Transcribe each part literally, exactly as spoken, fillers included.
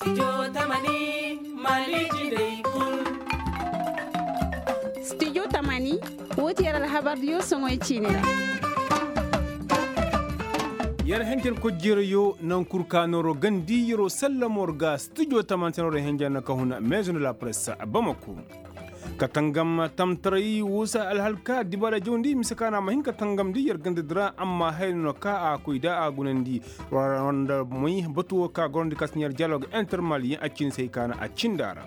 Studio tamani, woo ti yer alhabardiyo soŋoy ciini ra. Yer henjen kojjirayo naŋ kul ka nooro gandi yeroo sallamo ra ga studio tamani se nooro henjen na ka huna maison de la presse bamako. Ka tangam tamtaray woo se alhal ka dibaara jawndi mise ka na a ma hin ka tangamndi yer gandadi ra amma haya no ka a koy da a gunandi. Wara nda moy batu woo ka gorandi ka si ne yer dialogue intermaliyen a cindi se hay ka na a cindi a ra.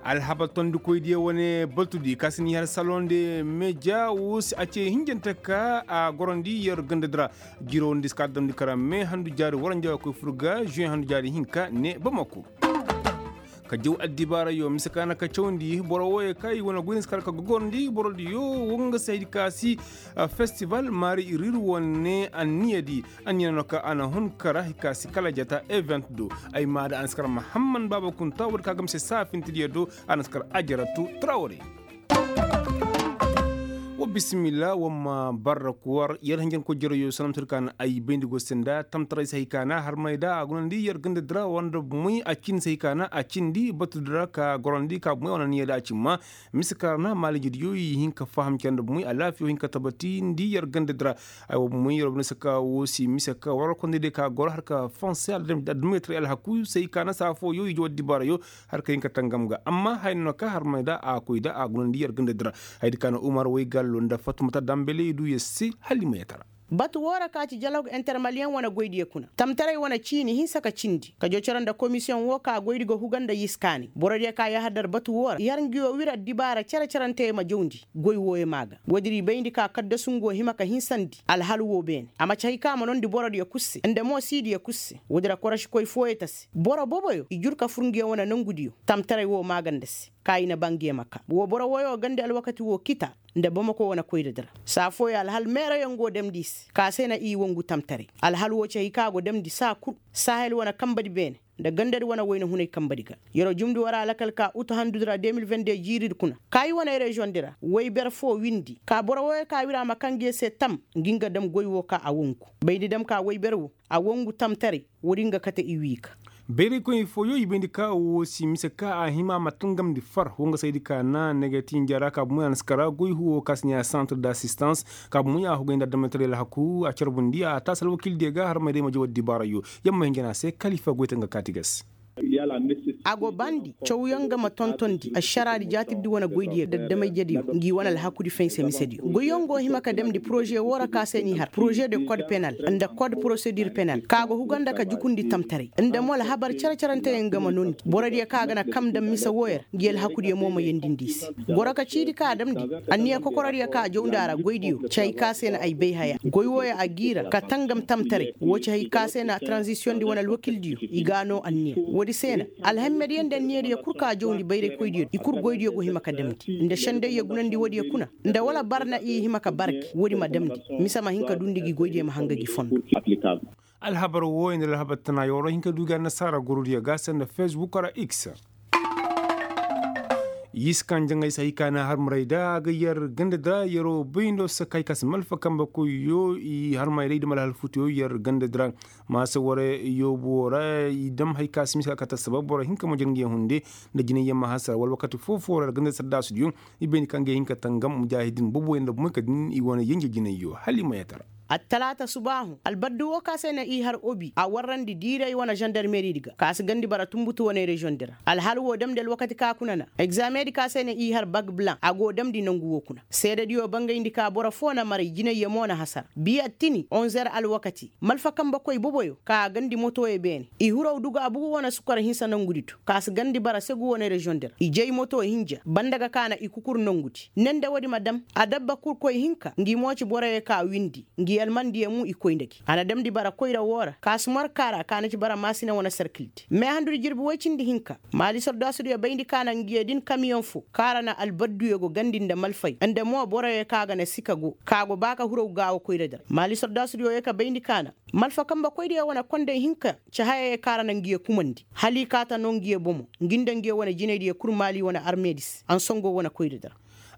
Alhabar tondikoydiyo wane batudi ka si ne yer salon de media woo se a ce hinjante ka a gorandi yer gandadi ra. Jiroo nda i si ka damndi kara me handu jaari waranja ga koy fur ga juin handu jaari hinka ne bamako. Ka jaw addibaarayo mise ka na ka cawndi boro wooyo ka i wane goyni si kar ka gogorndi borodiyo woo nga se hay di ka si festival maari irir wane anniyadi. Anniya no ka a na hun kara hay ka si kala jata event do. Ay maa da a na si kar mahamman baaba kunta woodi ka gamse saafintidiyo do. A na si kar ajaratu trawre. Wa bisimilla wa ma barra kuwar yer hanjanko jarayo sanamtir ka na ay bayndi go se nda tamtaray se hay ka na harmay da a gunandi yer ganda dira wanda bumay a cindi se hay ka na a cindi batu dira ka gorandi ka bumay wane niya da a cimma. Mise ka ra na maalijidiyo i hin ka faham cere nda bumay alaafiyo hin ka tabati ndi yer ganda dira. Ay wa bumay yer wa bine se ka wo si mise ka war kondi de ka goro har ka fonse addumaytaray alhaku se hay ka na saa fooyo i jaw addibaarayo. Har ka hin ka tangam ga amma haya no ka harmay da a koy da a gunandi yer ganda dira. Haya di ka na umar waygallo nda fatumata dambele i du yer se hala i ma yatara. Batu woo ra ka ci jalog intermaliyen wane goydiyo kuna tamtaray wane ciini hinsa ka cindi ka jocoro nda komisiyoŋ woo ka goydi ga huga nda yiskaani borodiyo ka yahadar batu woo ra i har nguyo wir addibaara cere-ceranteyo ma jawndi goy wooyo maa ga. Woodi ra i bayndi ka kaddasu ngu hima ka hinsandi alhal woo beene a ma ci hay ka a ma noondi borodiyo kul se nda mo siidiyo kul se woodi ra korosikoy fooyo ta se. Boro boboyo i jur ka fur nguyo wane nongudiyo tamtaray woo maa ga nda se. Ka i na ba nguyo ma kaa woo boro wooyo gandi alwakati woo kita nda bamako wane koyra dira. Saa fooyo alhal meerayaŋ go damndi i se ka se na i wangu tamtaray. Alhal woo ci hay ka go damndi saa kul saahel wane kambadi beene nda gandadi wane wayna hunay kambadi ga. Yer'o jumndi war alakal ka utu handudi ra de mil vende jiiridi kuna ka i wane reziyoŋdi ra wayber foo windi ka boro wooyo ka wir a ma kaa nguyo se tam ngi nga dam goy woo ka a wangu. Bayndi dam ka wayber woo a wangu tamtaray. Woodi nga kate i wii ga. Bayraykoy fooyo i bayndi ka woo si mise ka a hima a ma tangamndi far woo nga saydi ka na negetinja ra ka bumay a na si kara goy huwo ka si ne a santre d'assistance. Ka bumay a hugay nda adamay taray alhaku a carbundi a taasi alwakildiyo ga harmay day ma jaw addibaarayo. Yer ma hinja ne a se kalifa goytaŋ ga kaati ga se. A go baandi cawyaŋ ga ma tontondi ašaraadi jaatirdi wane goydiyo daddamayjediyo ngi wane alhakudi faynse misediyo goyyaŋ go hima ka damndi poroze woo ra ka se n'i har poroze de kod penal nda kod porosedir penal ka go huga nda ka jukundi tamtaray nda mo alhabar cere-ceranteyaŋ ga ma noondi borodiyo ka ga na kam dam mise wooyo ra ngi alhakudiyo mo ma yendindi i se. Goro ka ciidi ka a damndi anniya kokorodiyo ka a jawndi a ra goydiyo ci hay ka se na ay bay haya goy wooyo a g'i ra ka tangam tamtaray woo ci hay ka se na tranzisiyoŋdi wane alwakildiyo i g'a noo anniya. Woodi se na alhammediyo nda anniyadiyo kul ka jawndi bayraykoydiyo i kul goydiyo go hima ka damndi nda sendayyo gunandi woodiyo kuna nda wala bar na i hima ka bar gi woodi ma damndi mise ma hin ka duundi gi goydiyo ma hanga gi fondo. Alhabar wooyo nda alhabar tanayo war hin ka duu gi annasaara gorodiyo ga se nda fesbuk wala x. Yii si kaŋ jaŋay se hay ka na harmaray da a ga yer ganda da yeroo bayndo se kay ka si malfa kambe koyyo i harmaray da i da malhal futuyo yer ganda dira. Maasa warey yoobu woo ra i dam hay ka si mise ka kate sabab boro hinka ma jir nga yaŋ hunde nda jinay yaŋ ma hasara wala wakati foo-foo ra yer ganda sardaasudiyo. I bayndi kaŋ ga yaŋ hin ka tangam mujaahidin boboyaŋ nda bumay ka din i wane yenje jinayyo hala i ma yatara. Attalaata subaahu albaddu woo ka se na i har obi a warrandi diiray wane zandarmeriidi ga ka si gandi bara tunbutu wane reziyoŋdi ra alhal woo damndi alwakati ka kuna na egzameedi ka se na i har bag blan a go damndi nangu woo kuna seedediyo bangayndi ka boro foo na maray jinayyo mo na hasara biya tini onzer alwakati malfa kambekoy boboyo ka a gandi motoyo beene i huraw duga bugu wane sukar hinsa nangudi do ka si gandi bara segu wane reziyoŋdi ra i jay moto hinja banda ga ka na i kukur nangudi ne nda woodi ma dam adabba kul koy hinka ngi mo ci boroyo ka windi ngi almandiyo mu i koy nda gi a na damndi bara koyra woo ra ka si mor ka ra ka na ci bara maasina wane sarkildi meehandudi jirbi woy cindi hinka maali sordaasudiyo bayndi ka na ngiyo din kamiyoŋ foo ka ra na albadduyo go gandi nda malfay nda mo boroyo ka ga na sika go ka go ba ka huraw gaawo koyra dira maali sordaasudiyo ye ka bayndi ka na malfa kambekoydiyo wane konday hinka ci hayayo ka ra na ngiyo kumandi hala i kaata noo ngiyo bomo ngi nda ngiyo wane jinaydiyo kul maali wane armeedi se ansongo wane koyra dira.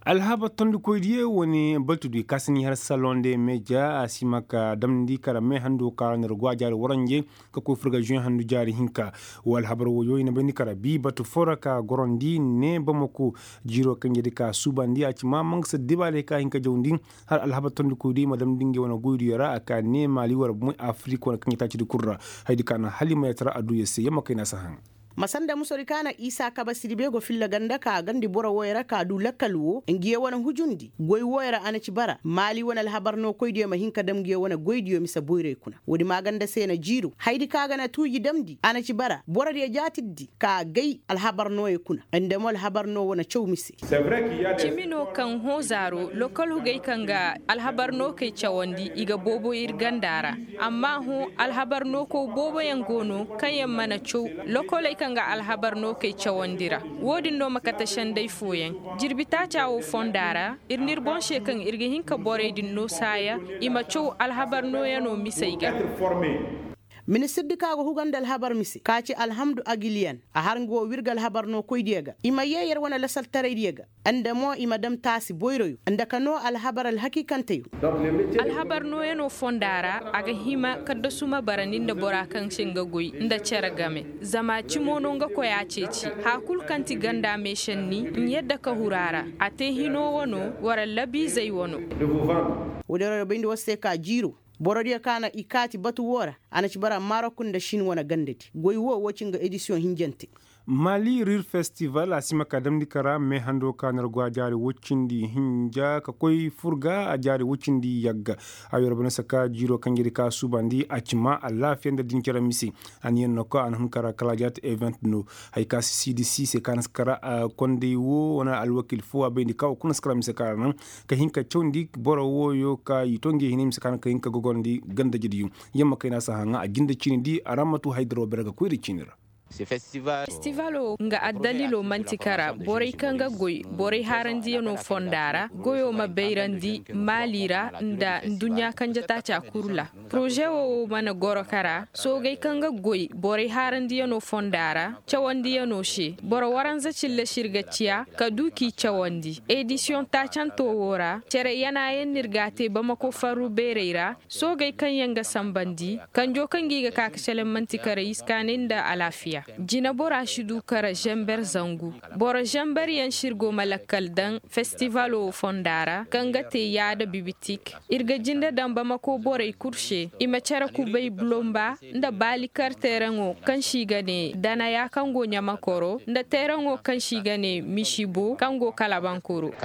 Alhabar tondikoydiyo wane baltudu i kaasini har salon de meja a si ma ka damndi kara me hando ka ra nir go a jaari waranje ka koy furga juwen handu jaari hinka. Wa alhabar woyo i na bayndi kara bi batu foo ra ka gorondi ne bamako jiiro kaŋ jedi ka suubandi a ci ma mangasa dibaale ka hin ka jawndi. Har alhabar tondikoydiyo i ma damndi ngey wane goydiyo ra a ka ne maali war bumey afirik wane kaŋ jedi taacidi kul ra. Haydi ka na hala i ma yatara adduya se yamma kayna si a haŋ. Masanda musori ka na isa kabasiri be go filla ganda ka gandi boro woy ra ka du lakkal wo ngiyo wane hujundi goy woy ra a na ci bara maali wane alhabar no koydiyo ma hin ka dam ngiyo wane goydiyo mise boyray kuna. Woodi ma ganda se na jiiru haydi ka ga na tuuji damndi a na ci bara borodiyo jaatirdi ka gay alhabar nooyo kuna. Nda mo alhabar no wane caw mise. Cimi no kaŋ hõ zaaro lokol hugey kaŋ ga alhabar no kay cawandi i ga boobo ir ganda ra. Amma hõ alhabar no kow booboyaŋ go no kaŋ yaŋ mana caw lokoley kaŋ ga alhabar no kay cawandi ra. Wo-din no ma kate senday fooyaŋ jirbi taaca wo fonda ra. Ir n'ir boŋ se kaŋ ir ga hin ka borey din no saaya i ma caw alhabar nooyano misey ga. Ministirdi ka go huga nda alhabar mise ka ci alhamdu agiliyan a har nga wo wirga alhabar no koydiyo ga i ma yee yer wane lasaltaraydiyo ga. Nda mo i ma dam taasi boyroyo nda ka noo alhabar alhakiikanteyo. Alhabar nooyanoo fonda ra a ga hima kaddasu ma barandi nda bora kaŋ se nga goy nda cere game. Zama cimo no nga koy a ceeci haya kul kaŋ ti ganda meesenni n'yadda ka huru a ra. A te hino wano wara labiizey wano. Woodin ra bayndi war se ka jiiro borodiyo kaŋ a na i kaati batu woo ra. A na ci bara marok nda sin wane gandadi goy woo woo ci nga edisiyoŋ hinjante. Mali rir festival a si ma ka damndi ka ra meehando ka na ra go a jaari woy cindi hinja ka koy furga a jaari woy cindi yagga. Ayo ra bana saka jiiro kaŋ jiri ka suubandi a ci ma alaafiya nda dincere mise. A na yaŋ no ka a na hun ka ra kala a jaati event no. Haya ka si siidi si se ka na si ka ra kondey woo wane alwakil foo a bayndi ka wo kuna si ka ra mise ka ra naŋ ka hin ka cawndi boro wooyo ka i to nge hinay mise ka naŋ ka hin ka gogorandi ganda jediyo. Yamma kayna si a haŋa a jinde ciini di a ra ma tu haydaro bere ga koyri ciini ra. Festivalo nga addalilo man'ti kara borey kaŋ ga goy borey haarandiyano fonda ra goyo ma bayrandi maali ra nda nduɲɲa kanje taaca kul ra. Poroze wo mana goro kara soogey kaŋ ga goy borey haarandiyano fonda ra cawandiyano se boro waranza cilla se ir ga ciya ka du k'i cawandi edisiyoŋ taacanto wo ra cere yanayaŋ no ir g'a te bamako farru beerey ra. Soogey kaŋ yaŋ ga sambandi kanjo kaŋ gi ga ka ka seleŋ man'ti kara iskaanay nda alaafiya. Jinebora si du kara zember zangu. Boro zemberyaŋ se ir go ma lakkal daŋ festivalo fonda ra kaŋ ga te yaada bibitik. Ir ga jinde daŋ bamako borey kul se i ma cere kubay bulomba nda baalikar teeraŋo kaŋ se i ga ne danaya kaŋ go ɲamakoro nda teeraŋo kaŋ se i ga ne misibo kaŋ go kalabankoro.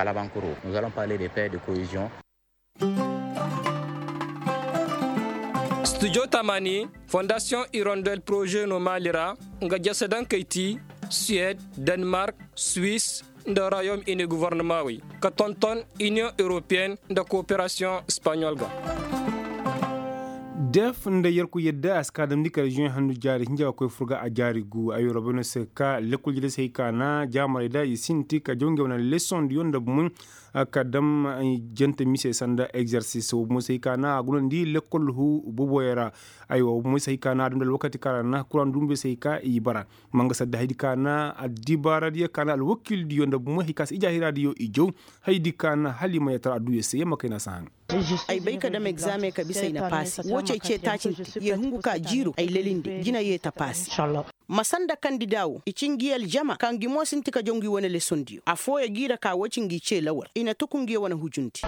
Studio tamani fondasiyoŋ irondel poroze no maali ra nga jese dankey ti suwed, denmark, swis, nda royaume ini gouvernement wey ka tonton inion europeyen nda kooperasiyoŋ espaɲol ga. Def nda yerku yadda a si ka damndi kala zuwen handu jaari hinja ga koy furga a jaari gu ayo robeno se ka lekkol jede se hay ka na jaamarey da i sinti ka jaw ngey wane lesoŋ diyo nda bumey. Ka dam jante mise sanda egzersis wo bumey se hay ka na a gunandi lekkol hu boboyo ra. Aywa wo bumey se hay ka na a dam da alwakati kaŋ ra na kuraŋ dumbe se hay ka i bara. Manga sadda haydi ka na addibaaradiyo ka na alwakildiyo nda bumey hay ka se ijaahiradiyo i jaw. Haydi ka na hala i ma yatara adduya se yamma kay na si haŋ. Ay bay ka dam egzaameŋ ka bisa ay na paasi wo cey ce taacinte ye hungu ka jiiru ay lelinde jina ye ta paasi. Ma sanda kandida wo i ci ngi aljama ka ngi mo sinti ka jaw ngi wane lesondiyo affooyo g'i ra ka wo ci ngi ce lawal i na tuku ngi wane hujundi.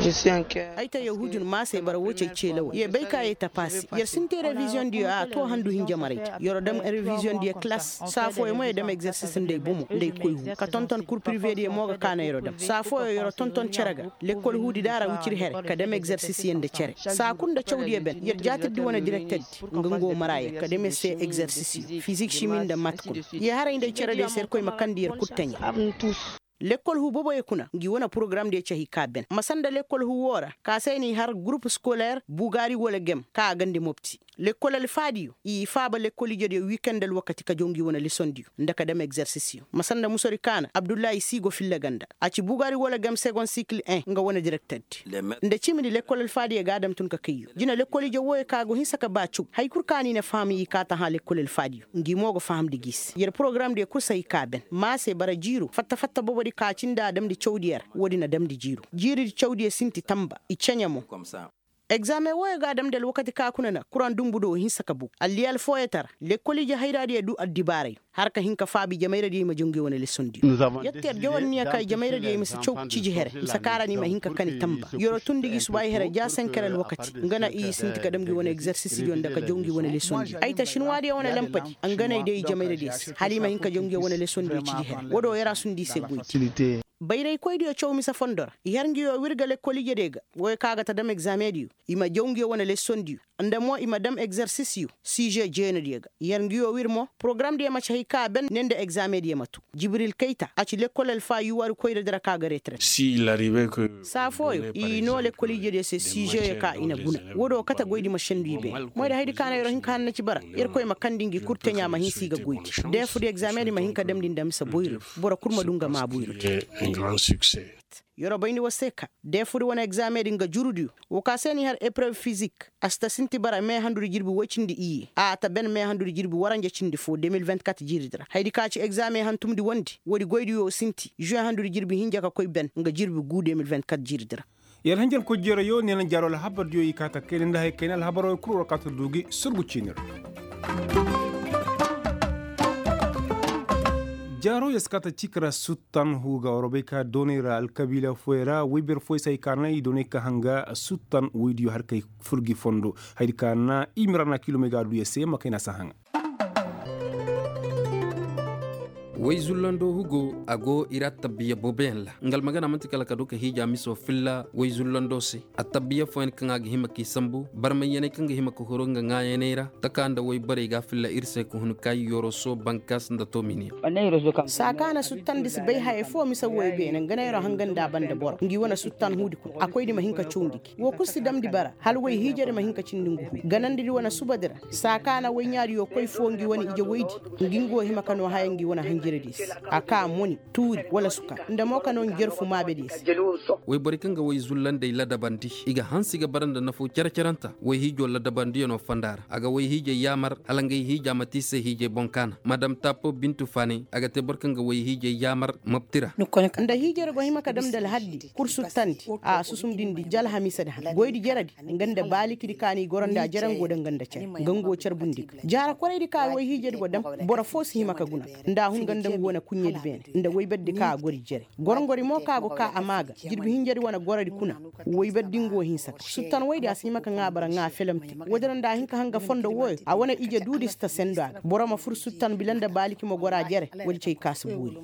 Ay ta ye hujun maasey bara wo cey ce lawal ye bay ka ye ta paasi yer sinti reviziyondiyo a to handu hinja maray ta yer dam reviziyondiyo kalas. Saa fooyo mo yer dam egzersis nda ay bomo nda ay koy hu ka tonton kur pirivediyo mo ga kaana yer dam saa fooyo yer tonton cere ga. Lekkol huudi da a ra wicir here ka dam egzersisiyaŋ nda cere saa kul nda cawdiyo ben yer jaatirdi wane direkterdi nga nga wo mara yer ka dam yer se egzersisiyo fizik simi nda mat kul. Yer haray nda ay cerediyo se yer koy ma kandi yer kul taɲa. Lekkol huu boboyo kuna ngi wane porogaramdiyo cahi ka ben ma sanda lekkol huu woo ra ka se ay n'i har gurup skoler bugaari wala gem ka a gandi mopti. Lekkol alfaadiyo i faaba lekkol ijediyo wikend alwakati ka jaw ngi wane lesondiyo nda ka dam egzersisiyo ma sanda musori kaana abdullahi siigo filla ga nda a ci bugaari wala gam segon sikil en nga wane direkterdi. Nda cimidi lekkol alfaadiyo ga a dam tun ka kayyo jina lekkol ije wooyo ka go hinsa ka ba caw hay kul ka ni na faham i kaa ta hã lekkol alfaadiyo ngi mo go fahamndi gi se yer porogaramdiyo kul si hay ka ben maa se bara jiiro fatta fatta bobodi ka cindi a damndi cawdiyo ra woodi na damndi jiiro jiiridi cawdiyo sinti tamba i ceɲe mo. Egzaameŋ wooyo ga a damndi alwakati ka kuna na kuraŋ dumbu do hinsa ka bogu alliyal fooyoo tara lekkol ije hayraadiyo du addibaarayo har ka hin ka faabi jamayradiyo i ma jaw ngi wane lesondiyo. Yer te yer jawar niya ka i jamayradiyo i ma si caw ciji here mise kaara ni ma hin ka kani tamba yer'o tundi gi subaayi here ja senker alwakati nga na i sinti ka dam ngi wane egzersisidiyo nda ka jaw ngi wane lesondiyo ay ta sinwaadiyo wane lampadi nga na i day i jamayradiyo se hala i ma hin ka jaw ngi wane lesondiyo ciji here woo do yer a sundi i se goydi. Bayraykoydiyo caw mise fondo ra i har ngi yoo wir ga lekkol ijediyo ga wooyo ka ga ta dam egzaameŋdiyo i ma jaw ngi yoo wane lesondiyo nda mo i ma dam egzersisiyo size jeenadiyo ga i har ngi yoo wir mo porogaramdiyo ma ci hay ka a ben ne nda egzaameŋdiyo ma too jibril kayta a ci lekkol alfaa yuwaari koyradi ra ka ga reeteret. Saa fooyo i noo lekkol ijediyo se sizeyo ka i na guna woo do kate goydi ma sendu i beene moyda haydi ka na yer'o hin ka hanna ci bara yerkoy ma kandi ngi kul teɲaa ma hinsa i ga goydi deefudi egzaameŋdi ma hin ka damndi nda mise boyro boro kul ma du nga maa boyro te. Yer'o bayndi war se ka deefudi wane egzaameŋdi nga jurudiyo woo ka se n'i har eprew fizik a si ta sinti bara mee handudi jirbi woy cindi iyye a ta ben mee handudi jirbi waranja cindi foo de mil vingt kat jiiridi ra haydi ka ci egzaameŋ hantumdi wondi woodi goydiyo sinti žuwe handudi jirbi hinja ka koy ben nga jirbi guu de mil vingt kat jiiridi ra. Yer hanjankoy jeerayo neena jaaro alhabardiyo i kaa ta kayna nda haya kayna alhabaroo kul war kaa ta du gi surgu ciini ra. Jaaro yer si kaa ta cii ka ra suttan huuga war bay ka doonay ra alkabiila fooyey ra woy bere fooyey si hay ka na i doonay ka hanga suttan woydiyo har kay fur gi fondo haydi ka na i mira na kiilomey ga a du yer se ma kayna si a haŋa. Way zullandoo hugo a go ir attabiya booboyaŋ ra nga almagana man'ti kala ka du ka hiija misoo filla way zullandoo se. Attabiya fooyaŋ kaŋ a ga hima k'i sambu barmayyaney kaŋ ga hima ka huru nga ŋaayaney ra taka nda way borey ga a filla ir se ka hun kaayi yoroso bankas nda tominiya. Saa kaŋ a na suttandi si bay haya foo mise wooyo beene nga neeroo hanga nda a banda boro ngi wane suttan huudi kuna a koydi ma hin ka cawndi gi woo kul si damndi bara hala way hiijadi ma hin ka cindi ngu huu ganandidi wane subadi ra. Saa ka na woy ɲaadiyo koy foo ngi wane ije woydi ngi nga wo hima ka noo haya ngi wane hanjiradiyo se. A kaa moni tuuri wala sukar nda mo ka noo njarfu maabediyo se. Woyborey kaŋ ga woy zullandey ladabandi i ga hanse i ga bara nda nafoo cere-cerenta woy hiijoo ladabandiyanoo fonda ra a ga woy hiijey yaamar hala ngey hiija ma te i se hiijey boŋ kaana madam taapo bintu faaney a ga te boro kaŋ ga woy hiijey yaamar mopti ra. Nda hiijadi go hima ka dam nda alhaldi kul suttandi a susumdindi ja alhamiisadi han goydi jeredi nga nda baalikidi ka n'i goro nda jere nga wo danga nda care nga nga wo carbundi ga jaara koraydi ka woy hiijadi go dam. Boro foo si hima ka guna nda a hun ga nda nga wane kuɲɲedi beene nda woyberdi ka a gori jere gorongori mo ka go ka a maa ga jirbi hinjadi wane gorodi kuna. Woyberdi nga wo hinsa ka suttan woydi a si hima ka ŋaa bara ŋaa felemte woodi ra nda a hin ka hanga fondo wooyo a wane ije duudi si ta sendo a ga boro ma fur suttan bila nda baaliki ma goro a jere. Woodi cay ka si boori.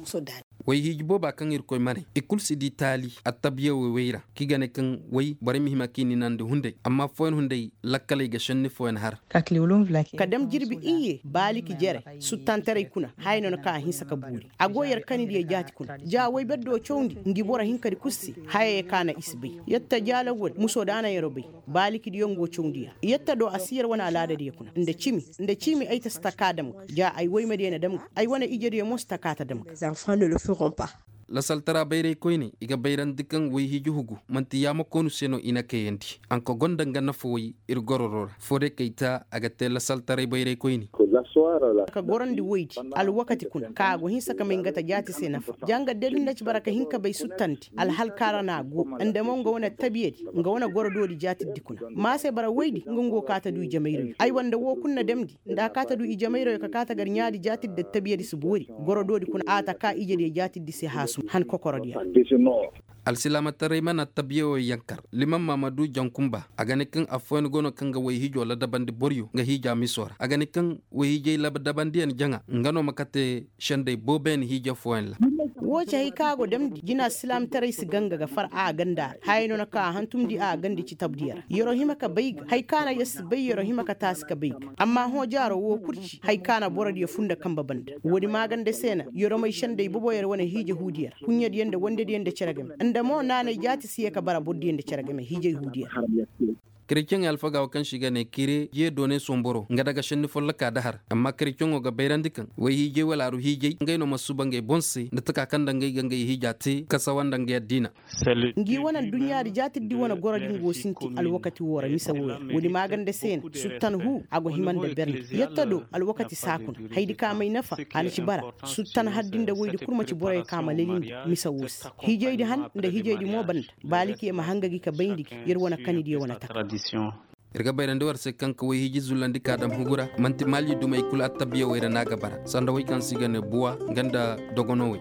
Way hiiji booba kaŋ irkoy ma ne i kul si di taali attabiya woy woy ra kaŋ i ga ne kaŋ way borey ma hima k'i ninandi hunday amma fooyaŋ hunday lakkaley ga šenni fooyaŋ har. Ka dam jirbi iyye baaliki jere suttantaray kuna haya no na kaŋ a hinsa ka buuri a go yer kanidiyo jaati kuna ja woy berdiyo cawndi ngi boro hinkadi kul se. Hayey kaŋ na i si bay yer ta jaalawwadi musoo da na yeroo bay baalikidiyo nga wo cawndi ya yer ta do a si yer wane alaadadiyo kuna nda cimi nda cimi ay ta si ta ka dam ga ja ay woymadiyo na dam ga ay wane ijediyo mo si ta ka ta dam ga. Lasaltara bayraykoyney i ga bayrandi kaŋ woy-hiiji hugu man'ti yaamakoonu se no i na kayandi anka gonda nga nafa woy ir gororo ra foodey kay ta a ga te lasaltaray bayraykoyney. Ka gorandi woydi alwakati kuna ka a go hinsa ka may nga ta jaati se nafa ja nga deli nda ci bara ka hin ka bay suttandi alhalka ra no a go. Nda mo nga wane tabiyadi nga wane gorodoodi jaatiddi kuna ma se bara woydi nga nga wo ka ta du i jamayrayo ay wanda wo kul na damndi nda a ka ta du i jamayrayo ka ka ta gar ɲaadi jaatiddi da tabiyadi si boori. Gorodoodi kuna a ta ka ijediyo jaatiddi se haasum han kokorodiyo ra. Alsilaamataray mana tabiya wo yankar liman maamadu jankumba a ga ne kaŋ affooyaŋ go no kaŋ ga woy-hiijoo ladabandi boroyo nga hiija misoo ra a ga ne kaŋ woy-hiijay ladabandiyaŋ jaŋa nga no ma kate sendey booboyaŋ hiija fooyaŋ ra. Woo ci hay kaŋ a go damndi jina alsilaamataray si ganga ga far a ganda ra hayey no na kaŋ a hantumndi a gandi ci tabdiyo ra yeroo hima ka bay ga hay kaŋ na yer si bay yeroo hima ka taasi ka bay ga amma hõ jaaroo woo kul ci hay kaŋ na borodiyo fur nda kanbe banda woodi maaganda se na yeroo may sendey bobo yer wane hiija huudiyo ra kuɲɲadiyo nda wandediyo nda cere game nda mo naanay jaati si yee ka bara borodiyo nda cere game hiijay huudiyo ra. Kereceŋey alfaga wo kaŋ se i ga ne kere jee doonay somboro nga daga šenni folloka da har amma kereceŋo ga bayrandi kaŋ way hiijay wala aru hiijay ngey no ma suba ngey boŋ se nda taka kaŋ nda ngey ga ngey hiija te kasawa nda ngey addiina. Ngi wane adduɲɲaadi jaatirdi wane gorodi nga wo sinti alwakati woo ra mise wooyo woodi maaganda se na suttan huu a go hima nda berndi yetta do alwakati saakuna haydi ka may nafa a na ci bara. Suttan hardi nda woydi kul ma ci boroyo ka ma lelindi mise woo se hiijaydi han nda hiijaydi mo banda. Baalikiyo ma hanga gi ka bayndi gi yer wane kanidiyo wane taka. Yer ga bayrandi war se kaŋ ka woy hiiji zullandi ka dam hugu ra man'ti maali dumey kul attabiya wey ra no a ga bara sanda wey kaŋ se i ga ne buwa nga nda dogonowey.